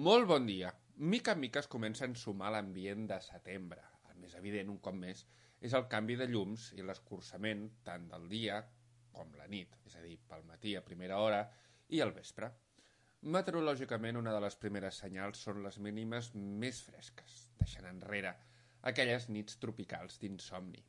Molt bon dia. Mica en mica es comença a ensumar l'ambient de setembre. El més evident, un cop més, és el canvi de llums i l'escurçament tant del dia com la nit, és a dir, pel matí a primera hora i al vespre. Meteorològicament, una de les primeres senyals són les mínimes més fresques, deixant enrere aquelles nits tropicals d'insomni.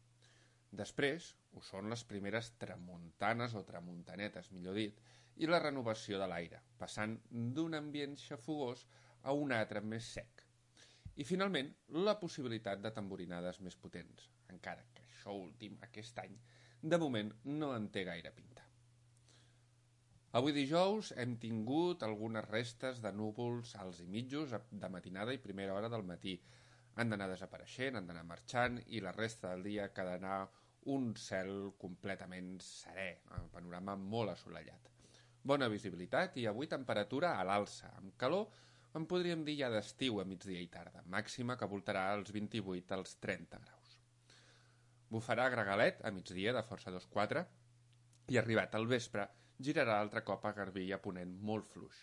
Després ho són les primeres tramuntanes o tramuntanetes, millor dit, i la renovació de l'aire, passant d'un ambient xafogós a un altre més sec. I finalment, la possibilitat de tamborinades més potents, encara que això últim, aquest any, de moment no en té gaire pinta. Avui dijous hem tingut algunes restes de núvols alts i mitjos de matinada i primera hora del matí. Han d'anar desapareixent, han d'anar marxant i la resta del dia quedarà un cel completament serè, un panorama molt assolellat. Bona visibilitat i avui temperatura a l'alça, amb calor en podríem dir ja d'estiu a migdia i tarda, màxima que voltarà als 28 als 30 graus. Bufarà gregalet a migdia de força 2-4 i arribat al vespre girarà altre cop a garbí i a ponent molt fluix.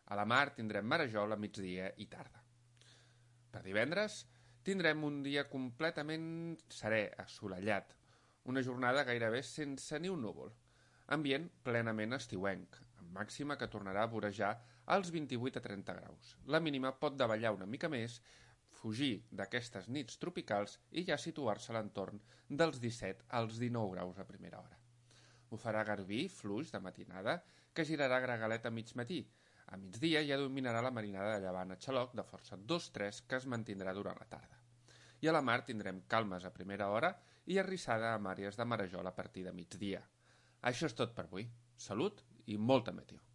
A la mar tindrem marejol a migdia i tarda. Per divendres tindrem un dia completament serè, assolellat, una jornada gairebé sense ni un núvol, ambient plenament estiuenc, amb màxima que tornarà a vorejar als 28 a 30 graus. La mínima pot davallar una mica més, fugir d'aquestes nits tropicals i ja situar-se a l'entorn dels 17 als 19 graus a primera hora. Bufarà garbí, fluix de matinada, que girarà gregalet a mig matí. A migdia ja dominarà la marinada de llevant a xaloc de força 2-3 que es mantindrà durant la tarda. I a la mar tindrem calmes a primera hora i arrissada amb àrees de marejol a partir de migdia. Això és tot per avui. Salut i molta meteor.